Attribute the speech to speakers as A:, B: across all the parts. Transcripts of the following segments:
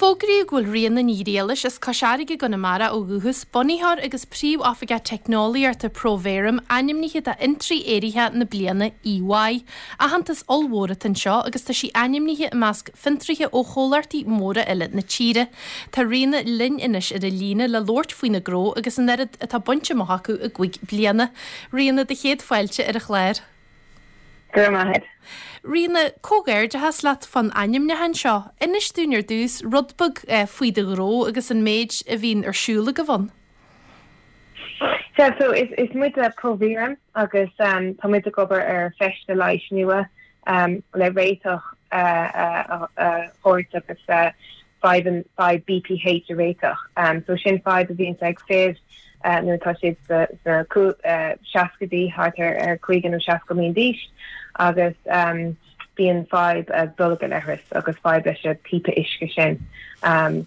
A: Fógraíodh go bhfuil Ríona Ní Ghriallais, as Cois Fharraige i gConamara ó dhúchas, bunaitheoir agus Príomhoifigeach Teicneolaíochta ProVerum, ainmnithe do Fhiontraí Éiritheach na Bliana EY. Aitheantas ollmhór atá anseo agus tá sí ainmnithe i measc fiontraithe ó chomhlachtaí móra eile na tíre. Tá Ríona linn anois ar an líne le labhairt faoina gnó agus an oiread atá bainte amach acu i gcúig bliana. Ríona, do chéad fáilte ar an chlár.
B: Go raibh maith agat.
A: Ríona, comhghairdeachas leat fán ainmniúchán seo. Inis dúinn ar dtús rud beag faoi do ghnó agus an méid a bhíonn ar siúl agaibh ann.
B: Sea, so is is muide ProVerum agus tá muid ag obair ar feiste leighis nua le réiteach a thabhairt agus fadhb fadhb BPH a réiteach. So sin fadhb a bhíonns ag fir nuair atá siad sna seascaidí, thart ar 50 nó 60 bliain d'aois agus bíonn fadhb ag dul ag an leithreas agus fadhb leis an píopa uisce sin.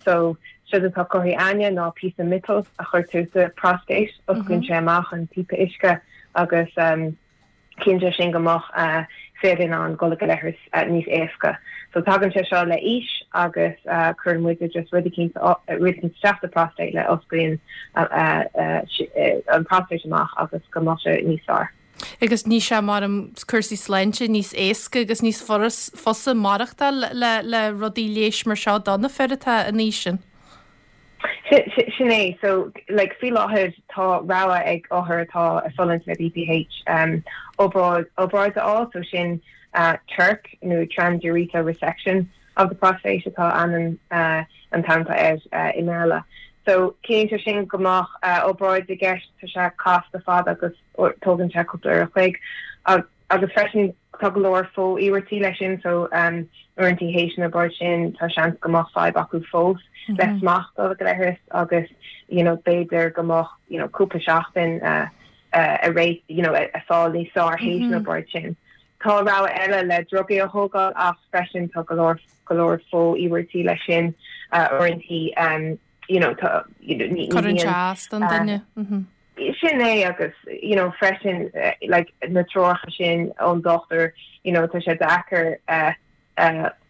B: So séard atá curtha a'inne ná píosa miotail a chuirtear sa prostate, osclaíonn sé amach an píopa uisce agus ciallaíonn sé sin go mbeadh fir in ann dul ag an leithreas níos éasca. So tagann sé seo le aois agus cuireann muide just rud eicínt rud eicínt isteach sa prostate le osclaíonn an prostate amach agus go mbeadh sé níos fearr.
A: Agus níl sé mar um cúrsaí sláinte níos éasca agus níos fusa maireachtáil le le rudaí leighis mar seo do na fir atá in aois sin.
B: Sin é. So, like, faoi láthair tá rogha ag othair atá ag fulaingt le BPH um, obráid, obráid a fháil, so sin uh, TURP nó Transurethral Resection of the Prostate atá ainm uh, an t-ainm atá air uh, i mBéarla. So, ciallaíonn sé sin go mbeadh uh, obráid i gceist, tá sé casta fada agus tógann sé cúpla uair a chloig. Agus freisin tá go leor fo-iarmhairtí leis sin so uaireanta théis an obráid sin tá seans go mbeadh fadhb acu fós le smacht dul ag an leithreas agus you know b'fhéidir go mbeadh you know cúpla seachtain a ré you know a fáil níos fearr théis an obráid sin. Tá rogha eile le drugaí a thógáil ach freisin tá go leor go leor fo-iarmhairtí leis sin uaireanta you know tá you know ní
A: Cuireann sé as don duine.
B: Sin é agus you know freisin like na treoracha sin ón dochtúir you know tá sé deacair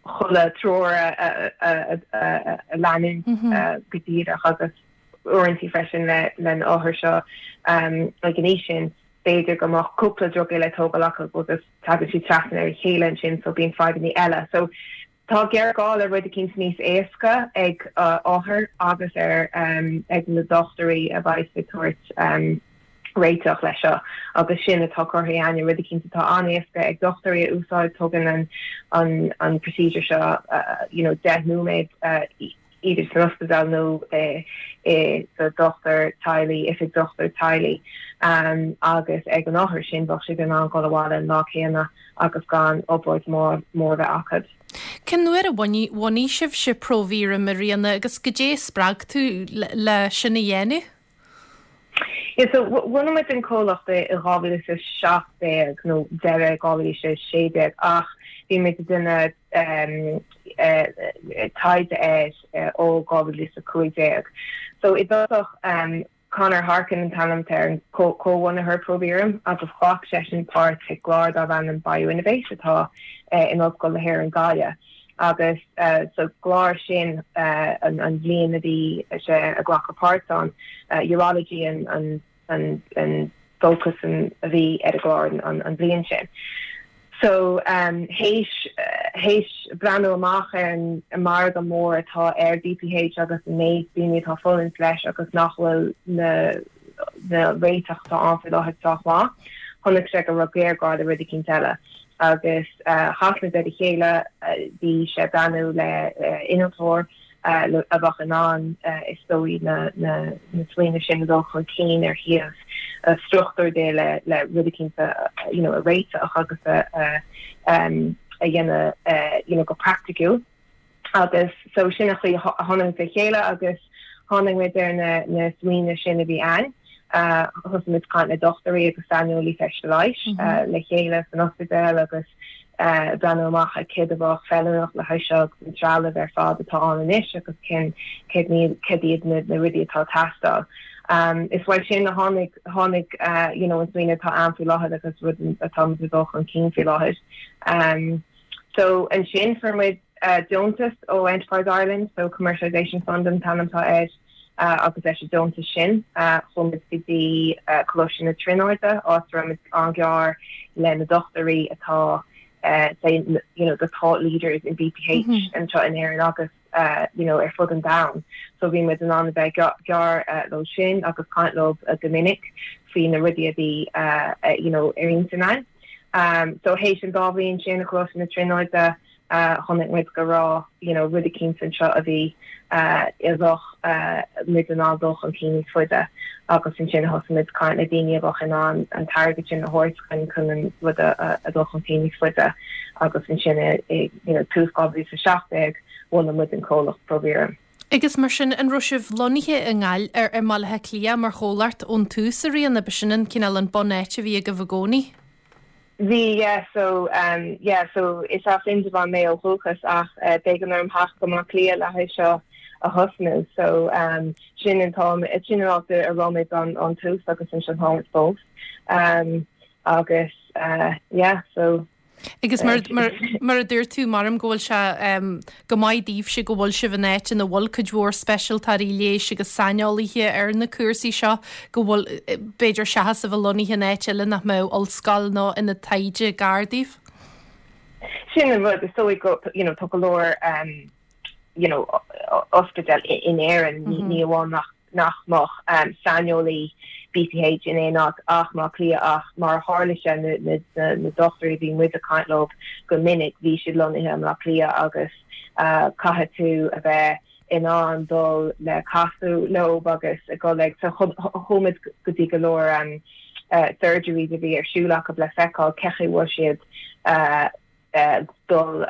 B: chuile treoir a a leanúint go díreach agus uaireanta freisin le le na othair seo ag an aois sin b'fhéidir go mbeadh cúpla drugaí le tógáil acu agus tagann siad trasna ar a chéile ansin so bíonn fadhbanna eile so Tá géarghá le rud eicínt níos éasca ag othair agus ar ag na dochtúirí a bheas ag tabhairt réiteach leis seo agus sin atá curtha a'inne, rud eicínt atá an-éasca ag dochtúirí a úsáid, tógann an an an procedure seo you know 10 nóiméad idir san ospidéal nó i sa dochtúir teaghlaigh, oifig dochtúir teaghlaigh agus ag an othar sin bheadh siad in ann dul abhaile an lá céanna agus gan obráid mór a bheith acu.
A: Cén uair a bhunaigh sibhse ProVerum, a Ríona, agus goidé a spreag tú le sin a dhéanamh?
B: Yeah, so bhunaigh muid an comhlacht i 2017 nó deireadh 2016 ach bhí muid ag déanamh taighde air ó 2015. So i dtosach Conor Harkin an t-ainm atá ar an comhbhunaitheoir ProVerum agus ghlac seisean páirt i gclár darb ainm BioInnovate atá in Ollscoil na hÉireann Gaillimh agus sa gclár sin an bhliain a bhí sé ag glacadh páirt ann, urology an an fócas a bhí ar an gclár an bhliain sin. So théis théis breathnú amach ar an margadh mór atá ar BPH agus an méid daoine atá ag fulaingt leis agus nach bhfuil na na réiteach atá ann faoi láthair sách maith, chonaic sé go raibh géarghá le rud eicínt eile. Agus chas muid ar a chéile, bhí sé ag breathnú le innealtóir, a bheadh in ann, is dóigh, na smaoineamh sin a dhul chun cinn ar thaobh struchtúr de le rud eicínt a you know a réiteach agus a a dhéanamh you know go praiticiúil. Agus so sin an chaoi a tháinig muid le chéile agus tháinig muid ar na na smaoineamh sin a bhí ann. Thosaigh muid ag caint le dochtúirí agus saineolaí feiste leighis le chéile san ospidéal agus breathnú amach ar céard a bheadh feiliúnach le haghaidh seo agus an trealamh ar fad atá ann anois agus cén céard níl céard iad na na rudaí atá ag teastáil. Is uaidh sin a tháinig tháinig you know an smaoineamh atá ann faoi láthair agus rud atá muid ag dul chun cinn faoi láthair. So ansin fuair muid. deontas ó Enterprise Ireland, so Commercialisation Fund an t-ainm atá air, agus leis an deontas sin chuaigh muid go dtí Coláiste na Tríonóide, áit a raibh muid an-ghearr le na dochtúirí atá say you know the thought leaders in BPH anseo in Éirinn agus you know ar fud an domhain. So bhí muid in ann a bheith gearr leo sin agus caint leo go minic faoi na rudaí a bhí you know ar intinn againn. So théis an dá bhliain sin i Coláiste na Tríonóide, chonaic muid go raibh you know rud eicínt anseo a bhí a bheadh muid in ann dul chun cinn níos faide agus ansin thosaigh muid caint le daoine a bheadh in ann an t-airgead sin a thabhairt chun chun an rud a dul chun cinn níos faide agus ansin i you know tús 2017 bhunaigh muid an comhlacht ProVerum.
A: Agus mar sin, an raibh sibh lonnaithe i nGaillimh, i mBaile Átha Cliath mar chomhlacht ón tús, a Ríona? B'shin an cineál an bun-áit a bhí agaibh i gcónaí?
B: Bhí, yeah, so, um, yeah, so is as Indreabhán mé ó dhúchas ach eh, b'éigean orm theacht go Baile Átha Cliath le haghaidh seo a thosnú. So, um, sin an t-am, sin an áit a raibh muid ón, ón tús agus ansin táimid fós. Um, agus, uh, yeah, so.
A: Agus mar, mar, mar a dúirt tú, maram go bhfuil sé, um, go maith daoibhse go bhfuil sibh in áit ina bhfuil cuid mhór speisialtóirí leighis agus saineolaithe ar na cúrsaí seo, go bhfuil, b'fhéidir seachas a bheith lonnaithe in áit eile nach mbeadh ollscoil nó ionad taighde gar daoibh.
B: Sin an rud, is dóigh go, you know, tá go leor, you know, ospidéal in Éirinn, ní amháin nach nach mbeadh saineolaí BPH in aon áit ach mBaile Átha Cliath ach mar a tharla sé na dochtúirí a bhí muid ag caint leo go minic bhí siad lonnaithe i mBaile Átha Cliath agus caithfidh tú a bheith in ann dul le casadh leo agus ag dul ag so chuaigh muid go dtí go leor surgeries a bhí ar siúl acu le feiceáil cén chaoi a bhfuil siad dul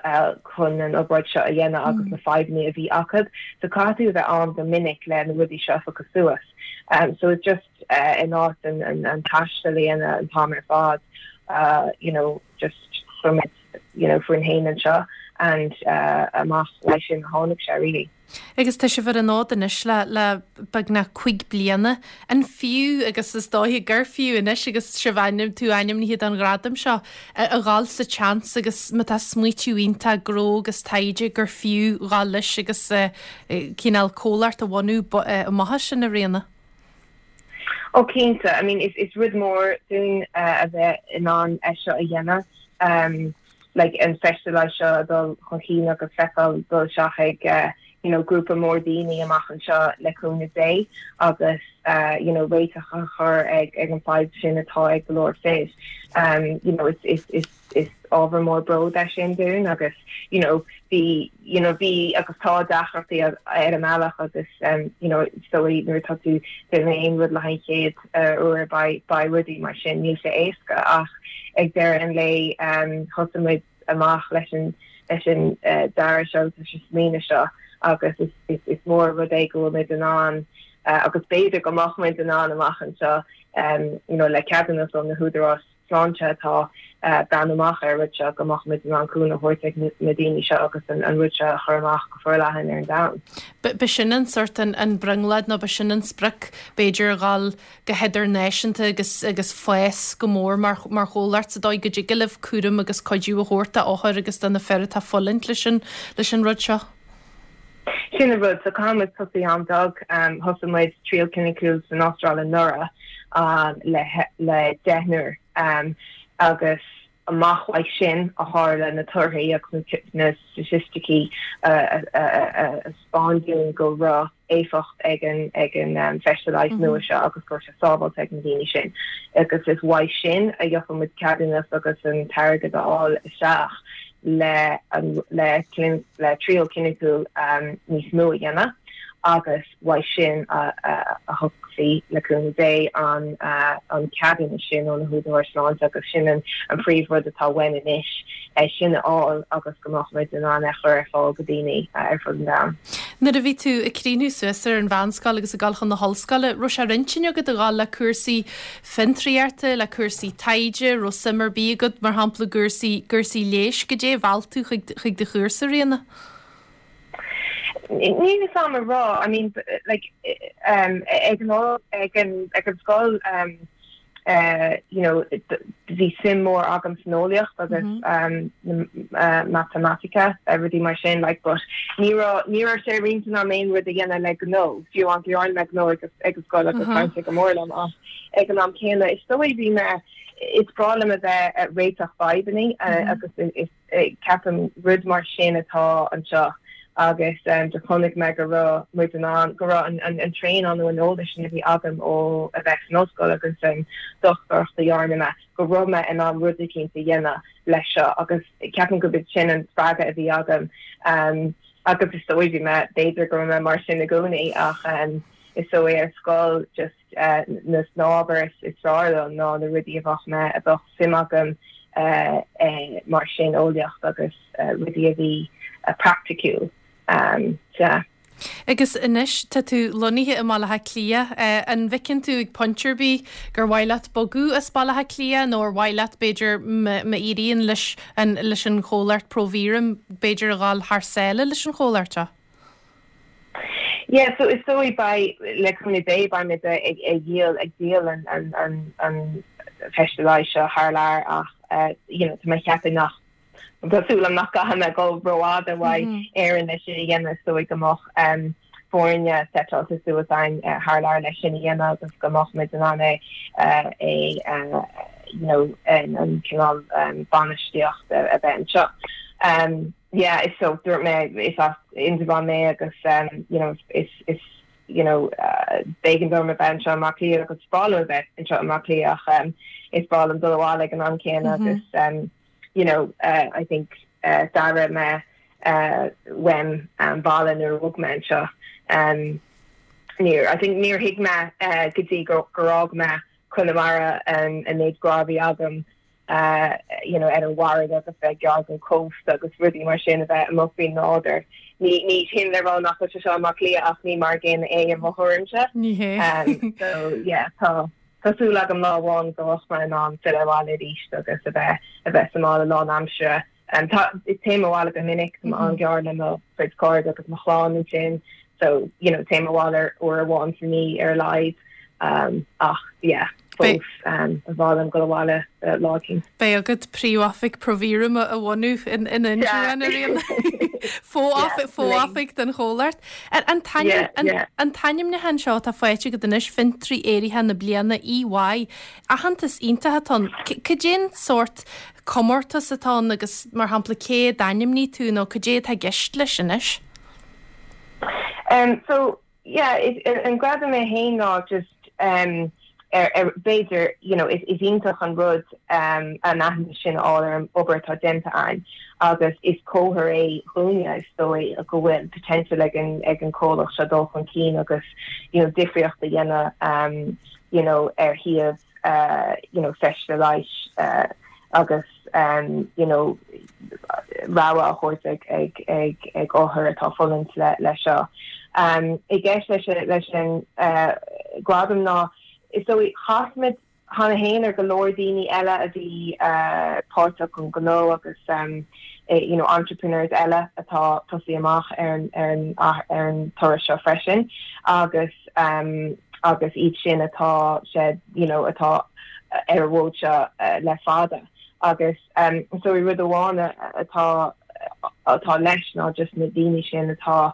B: chun an obráid seo a dhéanamh agus na fadhbanna a bhí acu. So caithfidh tú a bheith ann go minic le na rudaí seo a phiocadh suas. So it's just in áit an taisteal a dhéanamh an t-am ar fad, you know, just chuir muid, you know, fúinn féin anseo and amach uaidh sin a tháinig sé really.
A: Agus tá sibh ar an fhód anois le le beagnach 5 bliana. An fiú, agus is dóiche gur fiú anois agus sibh ainm, tú ainmnithe don ghradam seo, a dhul sa tseans agus má tá smaoitiú iontach gnó agus taighde gur fiú dhul leis agus cineál comhlacht a bhunú amach as sin, a Ríona?
B: Ó cinnte, I mean is is rud mór dúinn a bheith in ann é seo a dhéanamh. like an feiste leighis seo a dul chun cinn agus feiceáil dul isteach ag you know grúpa mór daoine amach anseo le cúnamh Dé agus you know réiteach a chur ag ag an fadhb sin atá ag go leor fir. Um, you know, is, is, is, is ábhar mór bród é sin dúinn agus you know, bhí you know, bhí agus tá deacrachtaí ar an mbealach agus um, you know, so nuair atá tú ag déanamh aon rud le haghaidh an chéad uair beidh rudaí mar sin, níl sé éasca ach ag deireadh an lae thosaigh muid amach leis an leis an dearadh seo agus leis an smaoineamh seo agus is is mór an rud é go bhfuil muid in ann agus b'fhéidir go mbeadh muid in ann amach anseo you know le ceadúnas ó na húdaráis sláinte atá ag breathnú amach ar an rud seo, go mbeadh muid in ann cúnamh a thabhairt ag na daoine seo agus an rud seo a chur amach go forleathan ar an domhan.
A: B'shin an sort an brionglóid nó b'shin an sprioc b'fhéidir a dhul go hidirnáisiúnta agus agus fás go mór mar mar chomhlacht sa dóigh go dtig libh cúram agus cuidiú a thabhairt d'othair agus do na fir atá ag fulaingt leis an leis an rud seo.
B: Sin an rud, so caithfidh muid tosaí an-bheag. Thosaigh muid triail cliniciúil san Astráil anuraidh le le deichniúr agus amach uaidh sin a tharla na torthaí agus na staitisticí a 'speáin dúinn go raibh éifeacht ag an ag an feiste leighis nua seo agus go raibh sé sábháilte ag na daoine sin agus is uaidh sin a gheobhaidh muid ceadúnas agus an t-airgead a fháil isteach le le le triail cliniciúil níos mó a dhéanamh agus uaidh sin a thiocfaidh, le cúnamh Dé, an an ceadúnas sin ó na húdaráis sláinte agus sin an príomhrud atá uainn anois, é sin a fháil agus go mbeadh muid in ann é a chur ar fáil go daoine ar fud an domhain.
A: Nuair a bhí tú ag críochnú suas ar an mheánscoil agus ag dul chun na hollscoile, raibh sé ar intinn agat a dhul le cúrsaí fiontraíochta, le cúrsaí taighde, raibh suim ar bith agat, mar shampla, i gcúrsaí, gcúrsaí leighis, goidé a mheall tú chuig, chuig do chúrsa, Ríona?
B: Níl fhios a'm a rá, I mean, like, um, ag an, ag an, ag an scoil, um, You know, bhí suim mór agam san eolaíocht agus matamaitice, rudaí mar sin, like, but ní raibh, ní raibh sé ar intinn agam aon rud a dhéanamh le gnó, fiú amháin go ndearna mé gnó ag ag an scoil agus bhain sé go mór liom ach ag an am céanna is dóigh bhí mé, is breá liom a bheith ag réiteach fadhbanna agus is, Ceapaim rud mar sin atá anseo agus do chonaic mé go raibh muid in ann, go raibh an traenáil nó an eolas sin a bhí agam ó a bheith san ollscoil agus an dochtúireacht a dhearna mé, go raibh mé in ann rud eicínt a dhéanamh leis seo agus ceapaim gurb é sin an spreagadh a bhí agam agus is dóigh bhí mé, b'fhéidir go raibh mé mar sin i gcónaí ach is dóigh ar scoil just na ábhair is fearr liom ná na rudaí a bheadh mé, a bheadh suim agam mar sin, eolaíocht agus rudaí a bhí praiticiúil. Sea.
A: Agus anois tá tú lonnaithe i mBaile Átha Cliath. An bhfeiceann tú ag pointe ar bith gur mhaith leat bogadh as Baile Átha Cliath nó ar mhaith leat b'fhéidir má éiríonn leis an leis an chomhlacht ProVerum b'fhéidir a dhul thar sáile leis an chomhlacht seo?
B: Yeah, so is dóigh beidh, le cúnamh Dé, beidh muid ag ag dhíol, ag díol an an an an feiste leighis seo thar lear ach you know tá mé ag ceapadh nach, tá súil agam nach gcaithfidh mé dul rófhada uaidh Éirinn leis sin a dhéanamh, is dóigh go mbeadh foirne seiteáilte suas againn thar lear leis sin a dhéanamh agus go mbeadh muid in ann é é you know an cineál bainistíocht a bheith anseo. Yeah is so dúirt mé is as Indreabhán mé agus you know is is you know b'éigean dom a bheith anseo i mBaile Átha Cliath agus is breá liom a bheith anseo i mBaile Átha Cliath ach is breá liom dul abhaile ag an am céanna agus you know I think d'airigh mé uaim an baile nuair a bhog mé anseo. Níor I think níor thuig mé go dtí gur fhág mé Conamara an méid grá a bhí agam you know, ar an bhfarraige agus bheith gar don chósta agus rudaí mar sin, a bheith amuigh faoin nádúr. Ní, ní hin le rá nach bhfuil sé seo i mBaile Átha Cliath ach ní mar an gcéanna é i mo thuairimse.
A: Ní
B: hé. So, yeah, tá, tá súil agam lá amháin go mbeadh mé in ann filleadh abhaile arís agus a bheith, a bheith sa mbaile lánaimseartha. Tá, téim abhaile go minic, tá mé an-ghearr le mo chuid cairde agus mo chlann ansin, so, you know, téim abhaile uair amháin sa mhí ar a laghad. Ach, yeah, fós, ba mhaith liom dul abhaile lá
A: éicint. Beidh agat príomhoifig ProVerum a bhunú in Indreabhán, a Ríona. Fo-oifig den chomhlacht. An t-ainmniúchán seo atá faighte agat anois, Fiontraí Éiritheach na Bliana, EY, aitheantas iontach atá ann. Cad é an sórt comórtas atá ann agus, mar shampla, cé a d'ainmnigh tú nó cad é atá i gceist leis anois?
B: So, yeah, an gradam é féin ná just ar, ar, b'fhéidir, you know, is iontach an rud an aitheantas sin a fháil ar an obair atá déanta againn agus is comhartha é dhúinne, is dóigh, go bhfuil potential ag an, ag an comhlacht seo dul chun cinn agus, you know, difríocht a dhéanamh, you know, ar thaobh, you know, feiste leighis agus you know rogha a thabhairt ag ag ag ag othair atá ag fulaingt le le seo. I gceist leis leis an gradam ná is dóigh chas muid cheana féin ar go leor daoine eile a bhí páirteach an gnó agus you know entrepreneurs eile atá tosaí amach ar an ar an ar an turas seo freisin agus agus iad sin atá sé you know atá ar an bhfód seo le fada agus so rud amháin atá atá leis ná just na daoine sin atá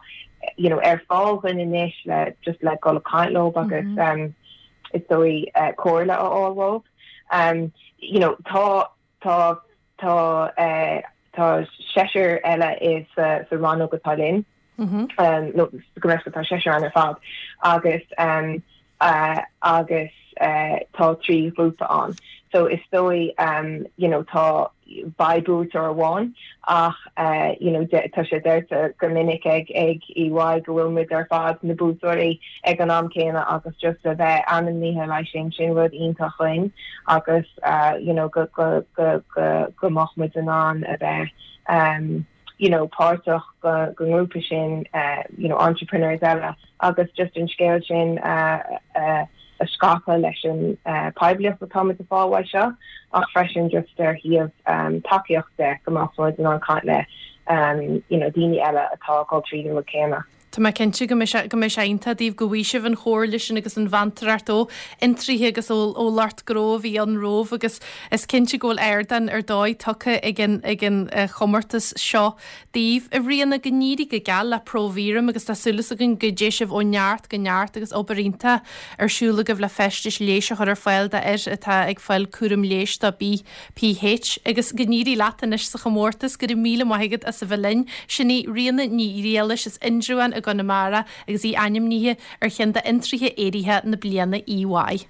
B: you know ar fáil dhuinn anois le just le dul ag caint leo agus is dóigh comhairle a fháil uathu. You know tá tá tá tá seisear eile i sa sa rannóg atá linn. Nó go raibh tá seisear ann ar fad agus agus tá 3 ghrúpa ann. So is dóigh you know tá beidh buaiteoir amháin ach you know tá sé deirte go minic ag ag EY go bhfuil muid ar fad na buaiteoirí ag an am céanna agus just a bheith ainmnithe leis sin sin rud iontach dhuinn agus you know go go go go go mbeadh muid in ann a bheith you know, páirteach den ngrúpa sin, you know, entrepreneurs eile agus just an scéal sin a scaipeadh leis an poiblíocht atá muid ag fáil uaidh seo ach freisin just ar thaobh tacaíocht de go mbeadh muid in ann caint le, you know, daoine eile atá ag dul tríd an rud céanna.
A: Tá mé cinnte go mbeidh sé, go mbeidh sé iontach daoibh go bhfaighidh sibh an chomhairle sin agus an mheantóireacht ó fhiontraithe agus ó, ó lucht gnó a bhí ann romhaibh agus is cinnte go bhfuil ardán ar dóigh tugtha ag an, ag an chomórtas seo daoibh. A Ríona, go n-éirí go geal le ProVerum agus tá súil againn go dté sibh ó neart go neart agus obair iontach ar siúl agaibh le feistis leighis a chur ar fáil d'fhir atá ag fáil cúram leighis do BPH agus go n-éirí leat anois sa chomórtas. Go raibh míle maith agat as a bheith linn. Sin í Ríona Ní Ghriallais as Indreabhán i gConamara agus í ainmnithe ar cheann d'fhiontraithe éiritheacha na bliana EY.